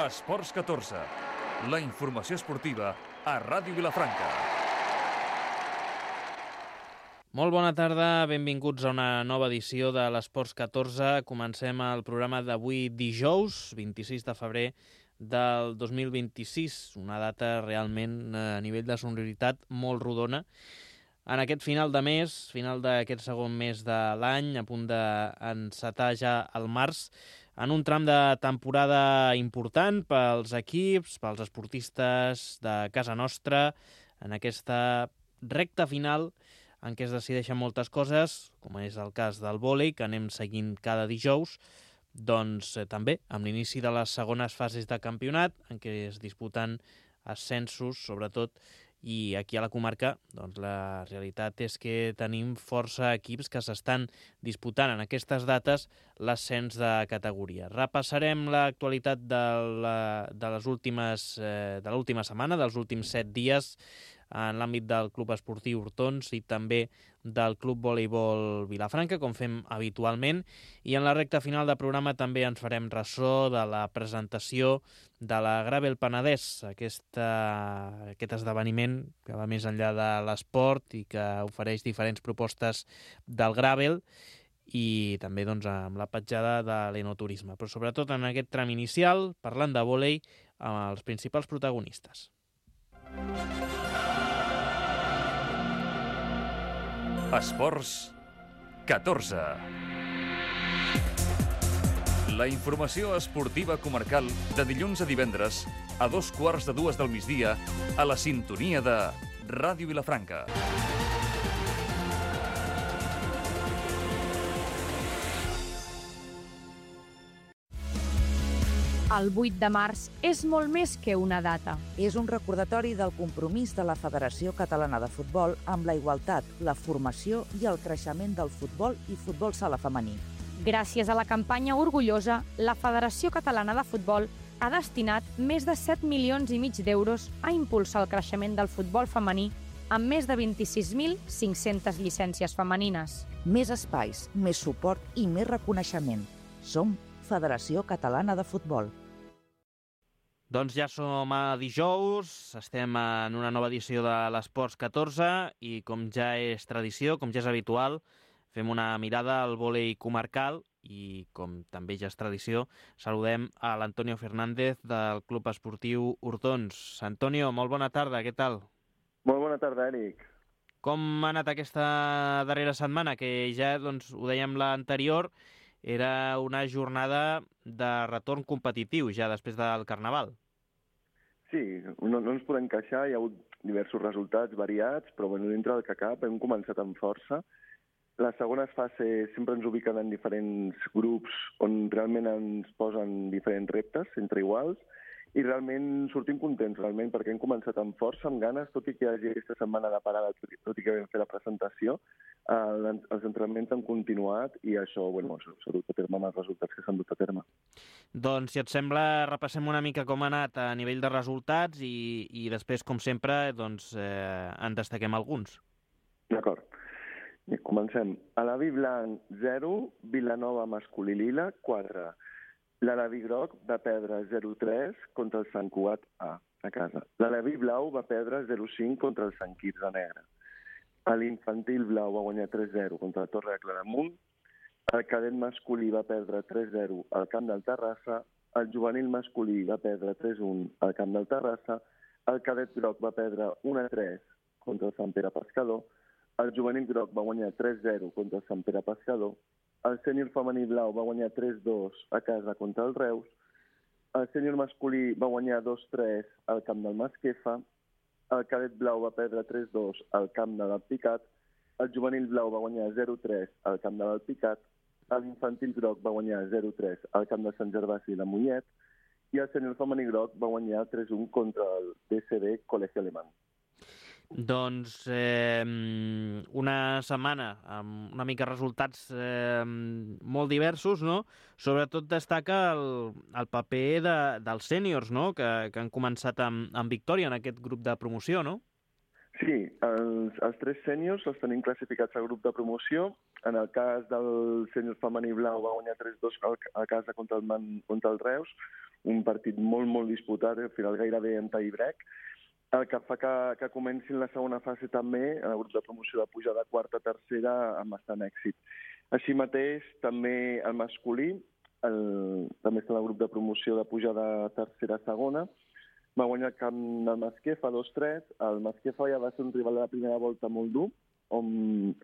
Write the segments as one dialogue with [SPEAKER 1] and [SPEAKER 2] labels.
[SPEAKER 1] Esports 14, la informació esportiva a Ràdio Vilafranca.
[SPEAKER 2] Molt bona tarda, benvinguts a una nova edició de l'Esports 14. Comencem el programa d'avui dijous, 26 de febrer del 2026, una data realment a nivell de sonoritat molt rodona. En aquest final de mes, final d'aquest segon mes de l'any, a punt d'encetar ja el març, en un tram de temporada important pels equips, pels esportistes de casa nostra, en aquesta recta final en què es decideixen moltes coses, com és el cas del vòlei, que anem seguint cada dijous, doncs també amb l'inici de les segones fases de campionat, en què es disputen ascensos, sobretot, i aquí a la comarca doncs la realitat és que tenim força equips que s'estan disputant en aquestes dates l'ascens de categoria. Repassarem l'actualitat de l'última setmana, dels últims 7 dies, en l'àmbit del Club Esportiu Hortons i també del Club Voleibol Vilafranca, com fem habitualment, i en la recta final del programa també ens farem ressò de la presentació de la Gravel Penedès, aquest esdeveniment que va més enllà de l'esport i que ofereix diferents propostes del gravel i també doncs, amb la petjada de l'enoturisme, però sobretot en aquest tram inicial, parlant de vòlei, amb els principals protagonistes.
[SPEAKER 1] Esports 14. La informació esportiva comarcal de dilluns a divendres a 2:15 del migdia a la sintonia de Ràdio Vilafranca.
[SPEAKER 3] El 8 de març és molt més que una data.
[SPEAKER 4] És un recordatori del compromís de la Federació Catalana de Futbol amb la igualtat, la formació i el creixement del futbol i futbol sala femení.
[SPEAKER 3] Gràcies a la campanya Orgullosa, la Federació Catalana de Futbol ha destinat més de 7,5 milions d'euros a impulsar el creixement del futbol femení amb més de 26.500 llicències femenines.
[SPEAKER 4] Més espais, més suport i més reconeixement. Som Federació Catalana de Futbol.
[SPEAKER 2] Doncs ja som a dijous, estem en una nova edició de l'Esports 14 i com ja és tradició, com ja és habitual, fem una mirada al vòlei comarcal i, com també ja és tradició, saludem a l'Antonio Fernández del Club Esportiu Hortons. Antonio, molt bona tarda, què tal?
[SPEAKER 5] Molt bona tarda, Eric.
[SPEAKER 2] Com ha anat aquesta darrera setmana, que ja doncs, ho dèiem l'anterior, era una jornada de retorn competitiu ja després del Carnaval.
[SPEAKER 5] Sí, no ens podem queixar, hi ha hagut diversos resultats variats, però dintre del que cap hem començat amb força. Les segones fases sempre ens ubiquen en diferents grups on realment ens posen diferents reptes entre iguals i realment sortim contents, perquè hem començat amb força, amb ganes, tot i que hi hagi aquesta setmana de parada, tot i que vam fer la presentació, els entrenaments han continuat i això s'ha dut a terme amb els resultats que s'han dut a terme.
[SPEAKER 2] Doncs, si et sembla, repassem una mica com ha anat a nivell de resultats i després, com sempre, doncs, en destaquem alguns.
[SPEAKER 5] D'acord. Comencem. A l'Avi Blanc, 0, Vilanova masculí lila, 4. L'Alaví groc va perdre 0-3 contra el Sant Cugat A casa. L'Alaví blau va perdre 0-5 contra el Sant Quirze negre. L'infantil blau va guanyar 3-0 contra la Torre de Claramunt. El cadet masculí va perdre 3-0 al camp del Terrassa. El juvenil masculí va perdre 3-1 al camp del Terrassa. El cadet groc va perdre 1-3 contra el Sant Pere Pescador. El juvenil groc va guanyar 3-0 contra el Sant Pere Pescador. El sènior femení blau va guanyar 3-2 a casa contra el Reus. El sènior masculí va guanyar 2-3 al camp del Masquefa. El cadet blau va perdre 3-2 al camp de l'Alpicat. El juvenil blau va guanyar 0-3 al camp de l'Alpicat. L'infantil groc va guanyar 0-3 al camp de Sant Gervasi de Mollet. I el sènior femení groc va guanyar 3-1 contra el DCB Col·legi Alemany.
[SPEAKER 2] Doncs una setmana amb una mica resultats molt diversos, no? Sobretot destaca el paper dels sèniors, no? Que han començat amb victòria en aquest grup de promoció, no?
[SPEAKER 5] Sí, els 3 sèniors els tenim classificats al grup de promoció. En el cas del sènior femení blau va guanyar 3-2 a casa contra el Reus. un partit molt, molt disputat, al final gairebé en tie-break, el que fa que comenci la segona fase també, el grup de promoció de pujar de quarta a tercera amb bastant èxit. Així mateix, també el masculí, també està en el grup de promoció de pujar de tercera a segona, va guanyar el camp del Masquefa 2-3. El Masquefa ja va ser un rival de la primera volta molt dur, on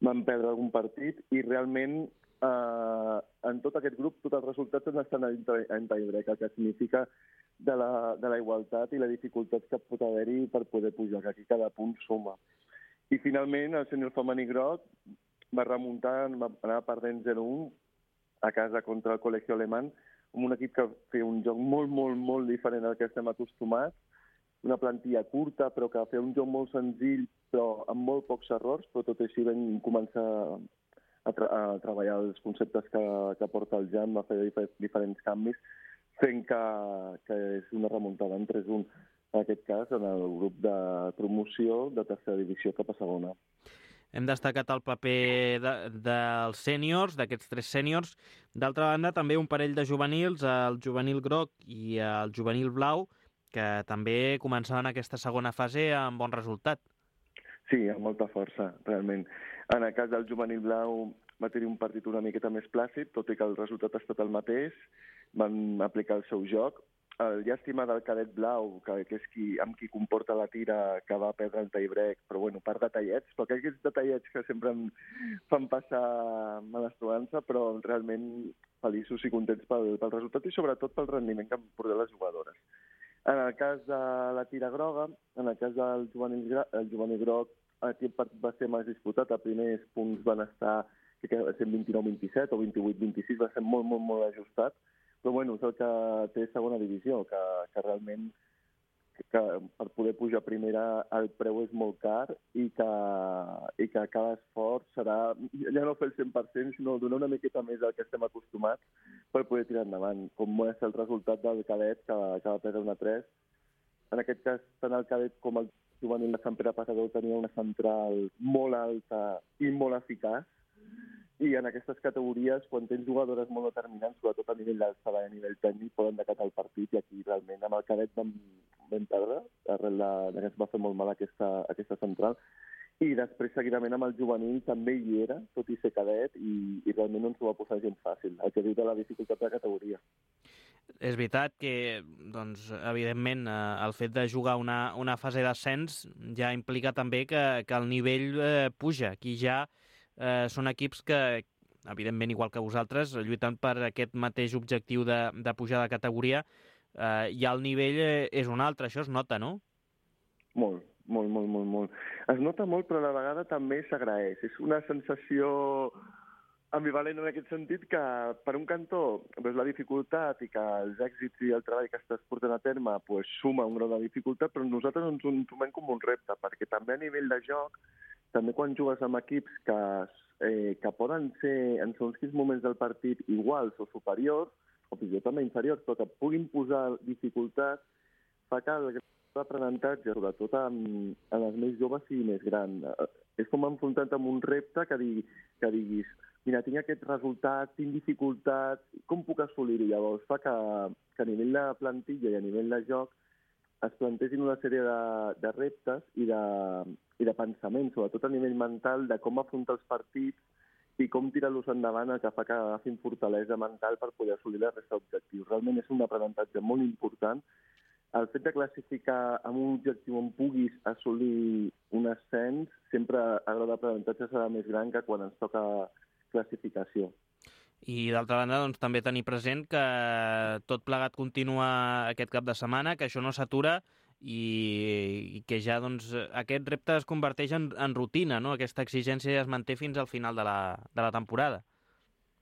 [SPEAKER 5] van perdre algun partit, i realment en tot aquest grup tots els resultats estan en tie-break, el que significa de la igualtat i la dificultat que pot haver-hi per poder pujar, que aquí cada punt suma. I finalment el sènior femení groc va remuntar, va anar perdent 0-1 a casa contra el Col·legi Alemany, amb un equip que feia un joc molt, molt, molt diferent al que estem acostumats, una plantilla curta, però que feia un joc molt senzill, però amb molt pocs errors, però tot així vam començar a treballar els conceptes que porta el Jan, va fer diferents canvis, fent que és una remuntada en 3-1, en aquest cas, en el grup de promoció de tercera divisió cap a segona.
[SPEAKER 2] Hem destacat el paper dels sèniors, d'aquests 3 sèniors. D'altra banda, també un parell de juvenils, el juvenil groc i el juvenil blau, que també començaven aquesta segona fase amb bon resultat.
[SPEAKER 5] Sí, amb molta força, realment. En el cas del juvenil blau va tenir un partit una miqueta més plàcid, tot i que el resultat ha estat el mateix, van aplicar el seu joc. El llàstima del cadet blau, que és amb qui comporta la tira, que va perdre el tie-break, però bueno, per detallets, però aquests detallets que sempre em fan passar malastruança, però realment feliços i contents pel resultat i sobretot pel rendiment que han portat les jugadores. En el cas de la tira groga, en el cas del juvenil groc, aquest partit va ser més disputat, els primers punts van estar, que va ser 29-27 o 28-26, va ser molt, molt, molt ajustat, però bueno, és el que té segona divisió, que realment per poder pujar a primera el preu és molt car i que cada esforç serà ja no fer el 100%, sinó donar una miqueta més del que estem acostumats per poder tirar endavant, com és el resultat del cadet que va perdre 1-3. En aquest cas, tant el cadet com el juvenil de Sant Pere Pescador tenia una central molt alta i molt eficaç, i en aquestes categories, quan tens jugadores molt determinants, sobretot a nivell d'alçada i a nivell tècnic, poden decatar el partit, i aquí realment amb el cadet vam perdre, arrel que ens va fer molt mal aquesta central, i després seguidament amb el juvenil també hi era, tot i ser cadet, i realment no ens ho va posar gens fàcil, el que diu de la dificultat de la categoria.
[SPEAKER 2] És veritat que, doncs, evidentment, el fet de jugar una fase d'ascens ja implica també que el nivell puja. Aquí ja són equips que, evidentment, igual que vosaltres, lluitant per aquest mateix objectiu de pujar de categoria, ja el nivell és un altre, això es nota, no?
[SPEAKER 5] Molt. Es nota molt, però a la vegada també s'agraeix. És una sensació ambivalent en aquest sentit que, per un cantó, la dificultat i que els èxits i el treball que estàs portant a terme suma un grau de dificultat, però nosaltres ens ho entomem com un repte, perquè també a nivell de joc, també quan jugues amb equips que poden ser en segons quins moments del partit iguals o superiors, o fins i tot també inferiors, però que puguin posar dificultats, fa que l'aprenentatge, sobretot en els més joves, sigui més gran. És com enfrontar-te amb un repte que diguis mira, tinc aquest resultat, tinc dificultats, com puc assolir-ho? Llavors fa que a nivell de plantilla i a nivell de joc es plantegin una sèrie de reptes i de pensaments, sobretot a nivell mental, de com afrontar els partits i com tirar-los endavant, el que fa que agafin fortalesa mental per poder assolir la resta d'objectius. Realment és un aprenentatge molt important. El fet de classificar amb un objectiu on puguis assolir un ascens, sempre el grau d'aprenentatge serà més gran que quan ens toca classificació.
[SPEAKER 2] I d'altra banda, doncs, també tenir present que tot plegat continua aquest cap de setmana, que això no s'atura i que ja doncs, aquest repte es converteix en rutina, no? Aquesta exigència es manté fins al final de la temporada.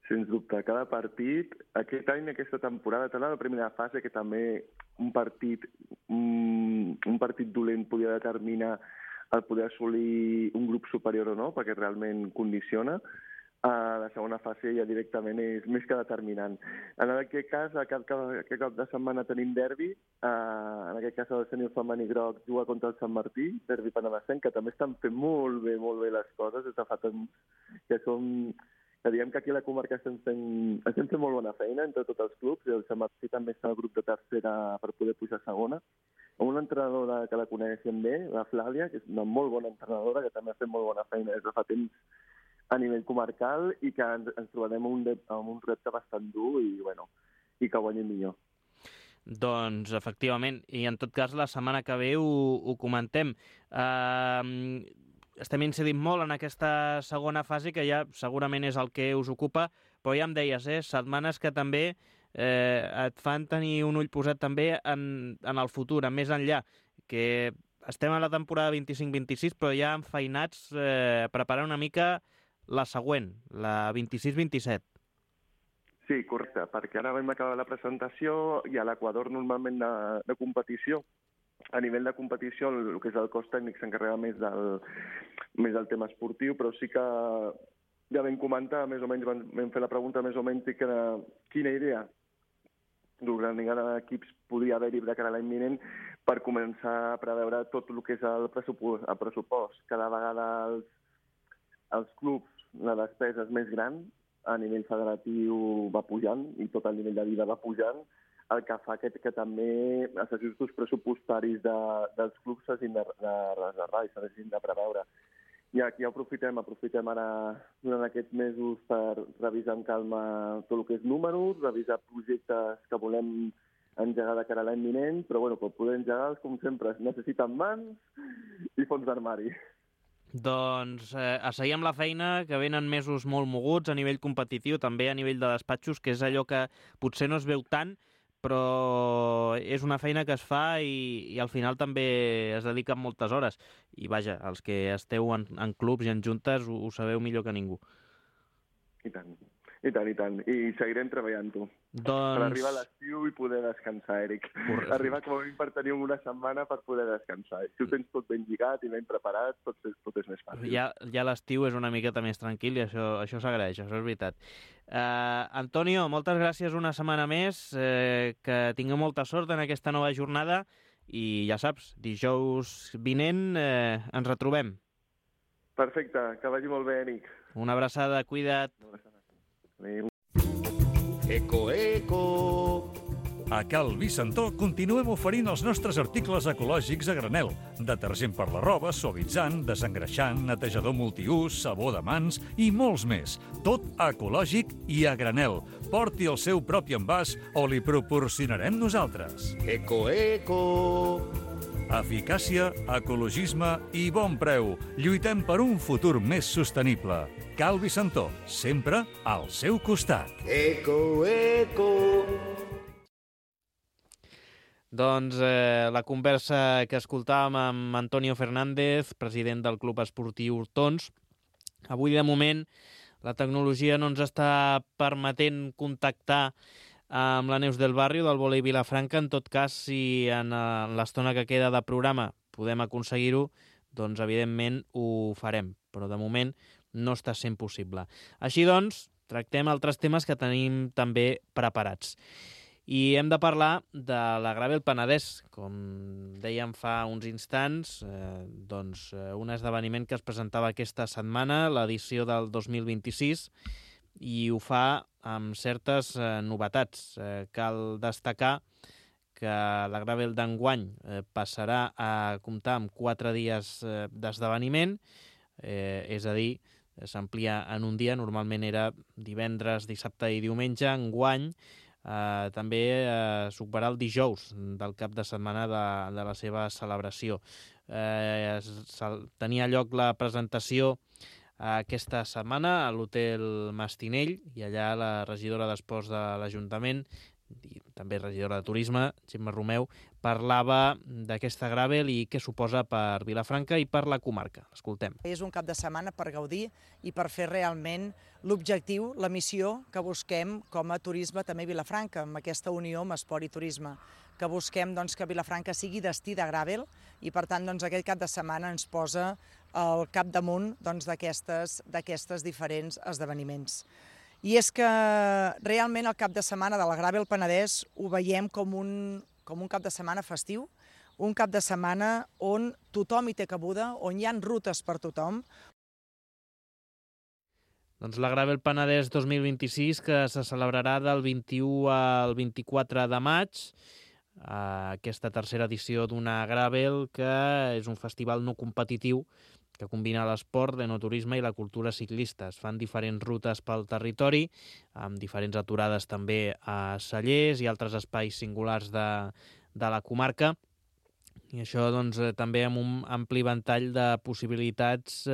[SPEAKER 5] Sens dubte, cada partit, aquest any, aquesta temporada, tant a la primera fase, que també un partit dolent podia determinar el poder assolir un grup superior o no, perquè realment condiciona. La segona fase ja directament és més que determinant. En aquest cas, aquest cap de setmana tenim derbi. En aquest cas, el sènior femení groc juga contra el Sant Martí, derbi penedesenc, que també estan fent molt bé les coses des de fa temps, que diem que aquí a la comarca estem fent estem fent molt bona feina entre tots els clubs, i el Sant Martí també està al grup de tercera per poder pujar a segona. Amb una entrenadora que la coneixem bé, la Flàvia, que és una molt bona entrenadora, que també ha fet molt bona feina des de fa temps a nivell comarcal, i que ens trobarem amb un repte bastant dur i que guanyem millor.
[SPEAKER 2] Doncs, efectivament, i en tot cas la setmana que ve ho comentem. Estem incidint molt en aquesta segona fase, que ja segurament és el que us ocupa, però ja em deies, setmanes que també et fan tenir un ull posat també en el futur, en més enllà, que estem a la temporada 25-26, però ja enfeinats preparant una mica la següent, la 26-27.
[SPEAKER 5] Sí, correcte, perquè ara vam acabar la presentació i a l'Equador normalment de competició. A nivell de competició, el que és el cos tècnic s'encarrega més del tema esportiu, però sí que ja vam comentar, més o menys vam fer la pregunta més o menys quina idea d'organitzar equips podria haver-hi de cara a l'any vinent per començar a preveure tot el que és el pressupost. Cada vegada els clubs, la despesa és més gran, a nivell federatiu va pujant i tot el nivell de vida va pujant, el que fa que també els ajustos pressupostaris dels clubs s'hagin de reservar i s'hagin de preveure. I aquí aprofitem ara durant aquests mesos per revisar amb calma tot el que és números, revisar projectes que volem engegar de cara a l'any vinent, però per poder engegar-los, com sempre, necessiten mans i fons d'armari.
[SPEAKER 2] Doncs asseiem la feina, que venen mesos molt moguts a nivell competitiu, també a nivell de despatxos, que és allò que potser no es veu tant, però és una feina que es fa i al final també es dedica moltes hores. I vaja, els que esteu en clubs i en juntes ho sabeu millor que ningú.
[SPEAKER 5] I tant. I seguirem treballant-ho. Per arribar a l'estiu i poder descansar, Eric.
[SPEAKER 2] Correcte.
[SPEAKER 5] Arribar com a mínim per tenir una setmana per poder descansar. Si ho tens tot ben lligat i ben preparat, tot és més fàcil.
[SPEAKER 2] Ja l'estiu és una miqueta més tranquil i això s'agraeix, això és veritat. Antonio, moltes gràcies una setmana més, que tingueu molta sort en aquesta nova jornada i ja saps, dijous vinent ens retrobem.
[SPEAKER 5] Perfecte, que vagi molt bé, Eric.
[SPEAKER 2] Una abraçada, cuida't.
[SPEAKER 5] Adéu.
[SPEAKER 1] Eco! A Cal Vicentó continuem oferint els nostres articles ecològics a granel. Detergent per la roba, suavitzant, desengreixant, netejador multiús, sabó de mans i molts més. Tot ecològic i a granel. Porti el seu propi envàs o li proporcionarem nosaltres. Eco! Eficàcia, ecologisme i bon preu. Lluitem per un futur més sostenible. Cal Vicentó, sempre al seu costat. Eco!
[SPEAKER 2] Doncs la conversa que escoltàvem amb Antonio Fernández, president del Club Esportiu Hortons. Avui, de moment, la tecnologia no ens està permetent contactar amb la Neus del Barrio, del Volei Vilafranca. En tot cas, si en l'estona que queda de programa podem aconseguir-ho, doncs evidentment ho farem. Però de moment no està sent possible. Així doncs, tractem altres temes que tenim també preparats. I hem de parlar de la Gravel Penedès. Com dèiem fa uns instants, un esdeveniment que es presentava aquesta setmana, l'edició del 2026, i ho fa amb certes novetats. Cal destacar que la Gravel d'enguany passarà a comptar amb 4 dies d'esdeveniment, és a dir, s'amplia en un dia, normalment era divendres, dissabte i diumenge. Enguany també superarà el dijous del cap de setmana de la seva celebració. Tenia lloc la presentació aquesta setmana a l'Hotel Mastinell, i allà la regidora d'Esports de l'Ajuntament i també regidora de Turisme, Gemma Romeu, parlava d'aquesta Gravel i què suposa per Vilafranca i per la comarca. Escoltem.
[SPEAKER 6] És un cap de setmana per gaudir i per fer realment l'objectiu, la missió que busquem com a turisme també a Vilafranca, amb aquesta unió amb esport i turisme, que busquem que Vilafranca sigui destí de Gravel i per tant aquest cap de setmana ens posa al capdamunt d'aquestes diferents esdeveniments. I és que realment el cap de setmana de la Gravel Penedès ho veiem com un cap de setmana festiu, un cap de setmana on tothom hi té cabuda, on hi ha rutes per tothom.
[SPEAKER 2] Doncs la Gravel Penedès 2026, que se celebrarà del 21 al 24 de maig, aquesta tercera edició d'una Gravel, que és un festival no competitiu que combina l'esport, l'enoturisme i la cultura ciclista. Es fan diferents rutes pel territori, amb diferents aturades també a cellers i altres espais singulars de la comarca, i això doncs, també amb un ampli ventall de possibilitats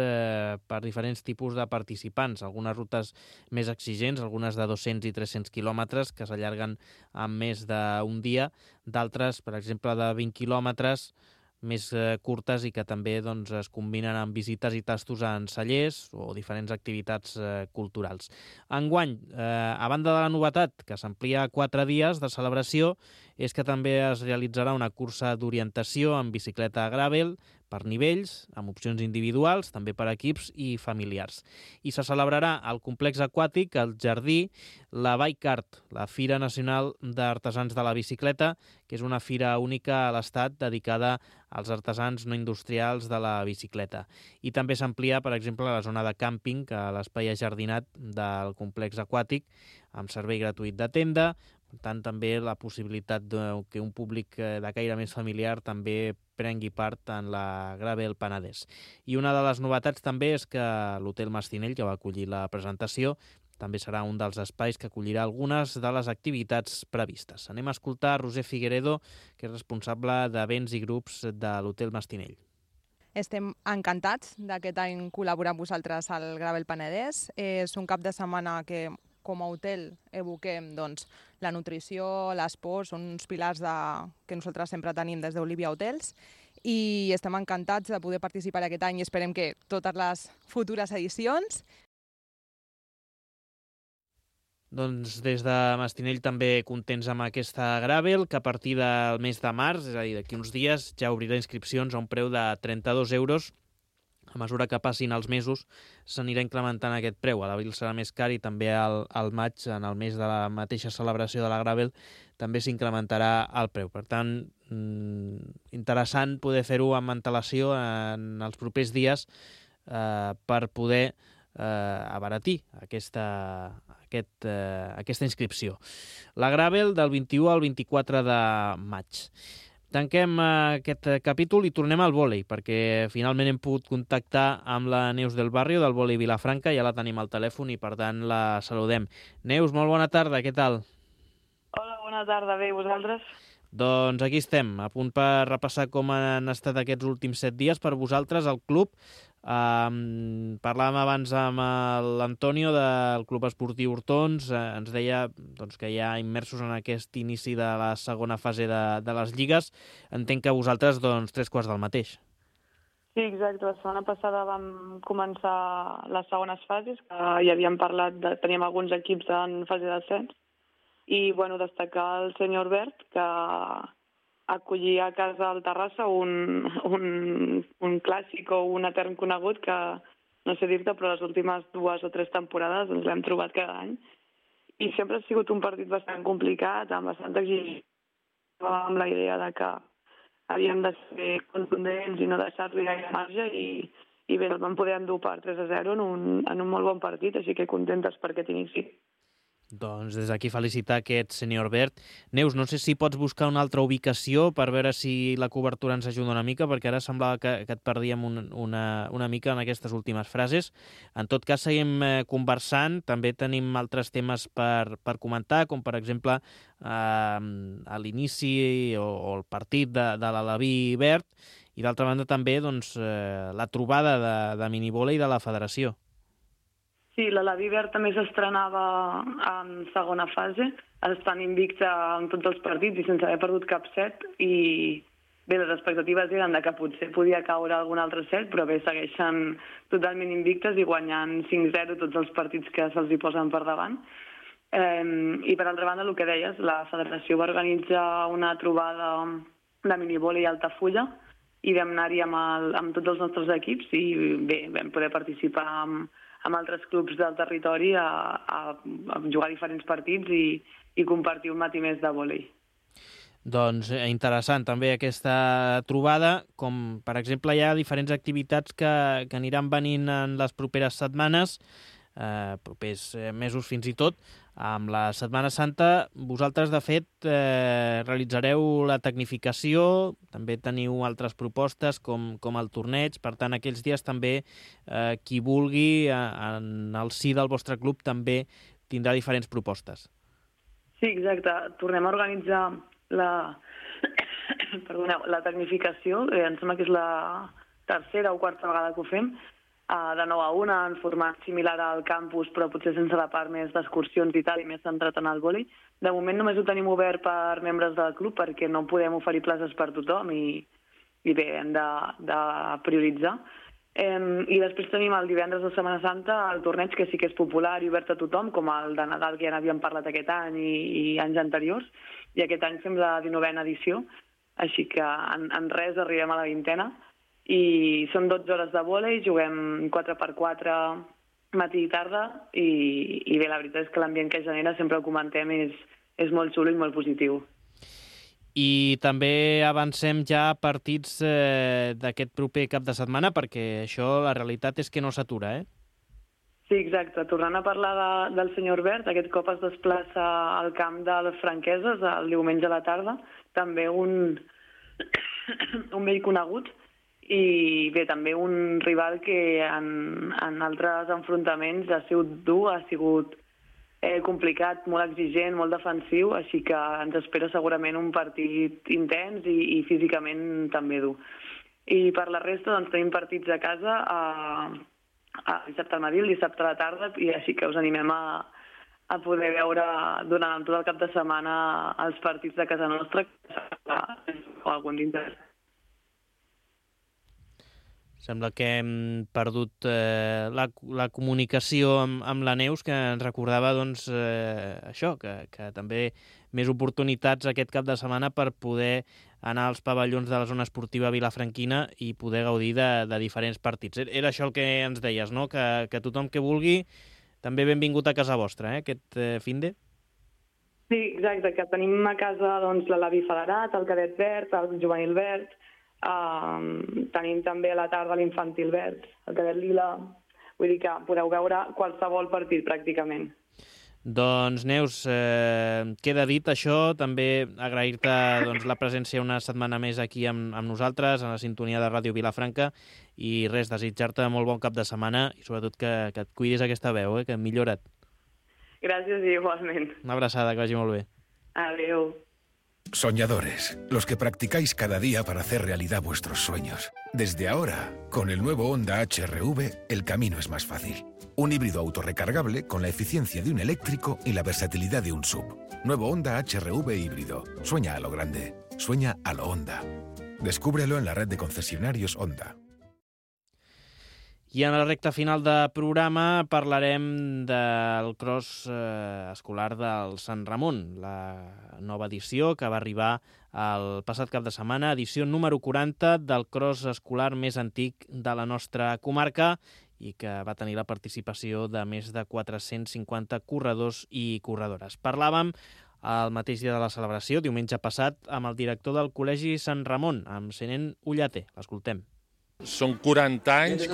[SPEAKER 2] per diferents tipus de participants. Algunes rutes més exigents, algunes de 200 i 300 quilòmetres, que s'allarguen en més d'un dia, d'altres, per exemple, de 20 quilòmetres, més curtes i que també doncs, es combinen amb visites i tastos en cellers o diferents activitats culturals. Enguany, a banda de la novetat, que s'amplia a 4 dies de celebració, és que també es realitzarà una cursa d'orientació en bicicleta gravel per nivells, amb opcions individuals, també per equips i familiars. I se celebrarà al complex aquàtic, al Jardí, la Bikeart, la Fira Nacional d'Artesans de la Bicicleta, que és una fira única a l'Estat dedicada als artesans no industrials de la bicicleta. I també s'amplia, per exemple, la zona de càmping a l'espai ajardinat del complex aquàtic, amb servei gratuït de tenda. Per tant, també la possibilitat que un públic de caire més familiar també prengui part en la Gravel Penedès. I una de les novetats també és que l'Hotel Mastinell, que va acollir la presentació, també serà un dels espais que acollirà algunes de les activitats previstes. Anem a escoltar Roser Figueredo, que és responsable d'events i grups de l'Hotel Mastinell.
[SPEAKER 7] Estem encantats d'aquest any col·laborar amb vosaltres al Gravel Penedès. És un cap de setmana que, com a hotel, evoquem doncs, la nutrició, l'esport, són uns pilars que nosaltres sempre tenim des d'Olivia Hotels, i estem encantats de poder participar aquest any i esperem que totes les futures edicions.
[SPEAKER 2] Doncs des de Mastinell també contents amb aquesta Gravel, que a partir del mes de març, és a dir, d'aquí uns dies, ja obrirà inscripcions a un preu de 32 euros. A mesura que passin els mesos s'anirà incrementant aquest preu. A l'abril serà més car i també al maig, en el mes de la mateixa celebració de la Gravel, també s'incrementarà el preu. Per tant, interessant poder fer-ho amb antelació en els propers dies per poder abaratir aquesta inscripció. La Gravel del 21 al 24 de maig. Tanquem aquest capítol i tornem al vòlei, perquè finalment hem pogut contactar amb la Neus del Barrio, del vòlei Vilafranca, ja la tenim al telèfon i per tant la saludem. Neus, molt bona tarda, què tal?
[SPEAKER 8] Hola, bona tarda, bé, i vosaltres?
[SPEAKER 2] Doncs aquí estem, a punt per repassar com han estat aquests últims 7 dies per vosaltres al club. Parlàvem abans amb l'Antonio del Club Esportiu Hortons, ens deia doncs, que ja immersos en aquest inici de la segona fase de les lligues. Entenc que vosaltres, doncs, 3/4 del mateix.
[SPEAKER 8] Sí, exacte. La setmana passada vam començar les segones fases, que ja havíem parlat, teníem alguns equips en fase d'ascens, i bueno, destacar el senyor Bert, que acollia a casa al Terrassa un clàssic o un etern conegut que, no sé dir-te, però les últimes 2 o 3 temporades ens l'hem trobat cada any. I sempre ha sigut un partit bastant complicat, amb bastanta exigència, amb la idea de que havíem de ser contundents i no deixar-li gaire marge, i bé, el vam poder endur per 3-0 en un molt bon partit, així que contentes per aquest inici.
[SPEAKER 2] Doncs des d'aquí felicitar aquest senyor Bert. Neus, no sé si pots buscar una altra ubicació per veure si la cobertura ens ajuda una mica, perquè ara semblava que et perdíem una mica en aquestes últimes frases. En tot cas, seguim conversant. També tenim altres temes per comentar, com per exemple a l'inici o el partit de l'Alaví Bert, i d'altra banda també doncs, la trobada de minivòlei de la federació.
[SPEAKER 8] Sí, l'Alaví Verd també s'estrenava en segona fase, estan invicta en tots els partits i sense haver perdut cap set, i bé, les expectatives eren de que potser podia caure algun altre set, però bé, segueixen totalment invictes i guanyant 5-0 tots els partits que se'ls hi posen per davant. I per altra banda, el que deies, la federació va organitzar una trobada de minivòlei a Altafulla i vam anar-hi amb tots els nostres equips i bé, vam poder participar amb altres clubs del territori a jugar diferents partits i compartir un matí més de vòlei.
[SPEAKER 2] Doncs interessant també aquesta trobada, com per exemple hi ha diferents activitats que aniran venint en les properes setmanes. propers mesos fins i tot. Amb la Setmana Santa vosaltres, de fet, realitzareu la tecnificació, també teniu altres propostes com el torneig, per tant, aquells dies també qui vulgui en el si del vostre club també tindrà diferents propostes.
[SPEAKER 8] Sí, exacte. Tornem a organitzar la tecnificació, em sembla que és la tercera o quarta vegada que ho fem, de 9 a 1, en format similar al campus, però potser sense la part més d'excursions i tal, i més centrat en el vòlei. De moment només ho tenim obert per membres del club perquè no podem oferir places per tothom i bé, hem de prioritzar. I després tenim el divendres de Setmana Santa el torneig, que sí que és popular i obert a tothom, com el de Nadal, que ja n'havíem parlat aquest any i anys anteriors, i aquest any fem la 19a edició, així que en res arribem a la 20a, i són 12 hores de vòlei, juguem 4x4 matí i tarda, i bé, la veritat és que l'ambient que genera, sempre ho comentem, és molt xulo i molt positiu.
[SPEAKER 2] I també avancem ja partits d'aquest proper cap de setmana, perquè això, la realitat és que no s'atura, eh?
[SPEAKER 8] Sí, exacte. Tornant a parlar del senyor Bert, aquest cop es desplaça al camp de les Franqueses el diumenge a la tarda, també un vell conegut, i bé, també un rival que en altres enfrontaments ha sigut dur, ha sigut complicat, molt exigent, molt defensiu, així que ens espera segurament un partit intens i físicament també dur. I per la resta doncs, tenim partits a casa dissabte al matí, el dissabte a la tarda, i així que us animem a poder veure durant tot el cap de setmana els partits de casa nostra, o algun d'interès.
[SPEAKER 2] Sembla que hem perdut la comunicació amb la Neus, que ens recordava doncs, això, que també més oportunitats aquest cap de setmana per poder anar als pavellons de la zona esportiva vilafranquina i poder gaudir de diferents partits. Era això el que ens deies, no? Que tothom que vulgui també benvingut a casa vostra, aquest finde?
[SPEAKER 8] Sí, exacte, que tenim a casa doncs, l'Avi Federat, el Cadet Verd, el Juvenil Verd, tenim també a la tarda l'Infantil Verd, el Cadet Lila, vull dir que podeu veure qualsevol partit pràcticament.
[SPEAKER 2] Doncs Neus, queda dit això, també agrair-te doncs, la presència una setmana més aquí amb nosaltres, a la sintonia de Ràdio Vilafranca, i res, desitjar-te molt bon cap de setmana i sobretot que et cuidis aquesta veu, que millora't.
[SPEAKER 8] Gràcies i igualment.
[SPEAKER 2] Una abraçada, que vagi molt bé.
[SPEAKER 8] Adéu.
[SPEAKER 9] Soñadores, los que practicáis cada día para hacer realidad vuestros sueños. Desde ahora, con el nuevo Honda HR-V, el camino es más fácil. Un híbrido autorrecargable con la eficiencia de un eléctrico y la versatilidad de un SUV. Nuevo Honda HR-V híbrido. Sueña a lo grande. Sueña a lo Honda. Descúbrelo en la red de concesionarios Honda.
[SPEAKER 2] I en la recta final de programa parlarem del cross escolar del Sant Ramon, la nova edició que va arribar el passat cap de setmana, edició número 40 del cross escolar més antic de la nostra comarca i que va tenir la participació de més de 450 corredors i corredores. Parlàvem el mateix dia de la celebració, diumenge passat, amb el director del Col·legi Sant Ramon, amb Senén Ullater. L'escoltem.
[SPEAKER 10] Són 40 anys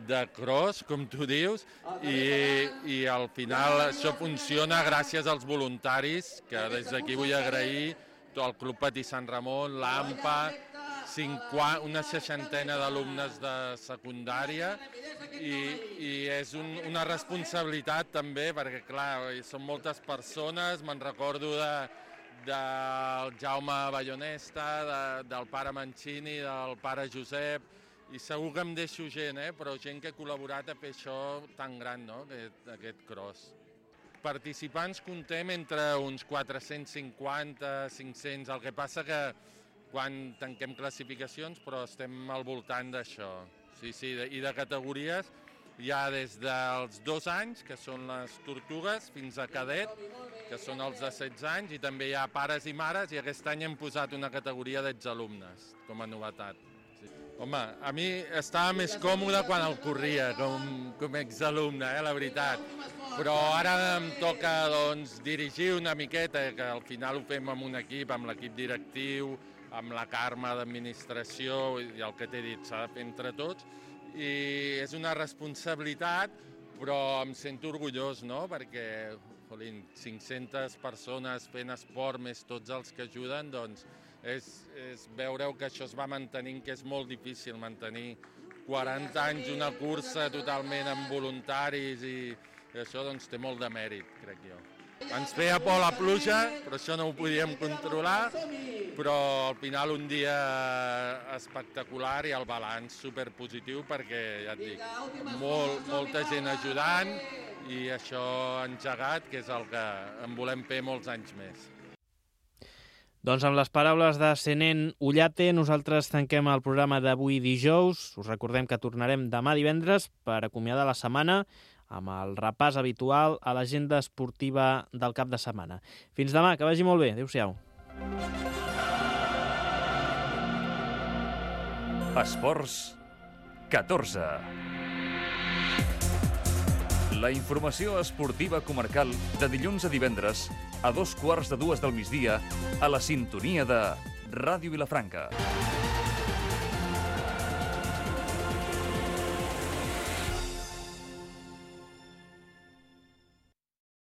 [SPEAKER 10] de cross, com tu dius, i al final això funciona gràcies als voluntaris, que des d'aquí vull agrair al Club Patí Sant Ramon, l'AMPA, una 60ena d'alumnes de secundària, i és una responsabilitat també, perquè clar, són moltes persones, me'n recordo del Jaume Ballonesta, del pare Mancini, del pare Josep, i segur que em deixo gent, però gent que ha col·laborat a fer això tan gran, no?, aquest cross. Participants contem entre uns 450, 500, el que passa que quan tanquem classificacions, però estem al voltant d'això. Sí, i de categories hi ha des dels 2 anys, que són les tortugues, fins a cadet, que són els de 16 anys, i també hi ha pares i mares, i aquest any hem posat una categoria d'exalumnes, com a novetat. Sí. Home, a mi estava més còmode quan el corria, com a exalumne, la veritat. Però ara em toca dirigir una miqueta, que al final ho fem amb un equip, amb l'equip directiu, amb la Carme d'administració, i el que t'he dit, s'ha de fer entre tots, i és una responsabilitat, però em sento orgullós, no? Perquè 500 persones fent esport, més tots els que ajuden, doncs és veureu que això es va mantenint, que és molt difícil mantenir 40 anys una cursa totalment amb voluntaris i això doncs té molt de mèrit, crec jo. Ens feia por la pluja, però això no ho podíem controlar, però al final un dia espectacular i el balanç superpositiu perquè, ja et dic, molta gent ajudant i això engegat, que és el que en volem fer molts anys més.
[SPEAKER 2] Doncs amb les paraules de Senén Ullate, nosaltres tanquem el programa d'avui dijous. Us recordem que tornarem demà divendres per acomiadar la setmana amb el repàs habitual a l'agenda esportiva del cap de setmana. Fins demà, que vagi molt bé. Adéu-siau.
[SPEAKER 1] Esports 14. La informació esportiva comarcal de dilluns a divendres a 2:15 del migdia a la sintonia de Ràdio Vilafranca.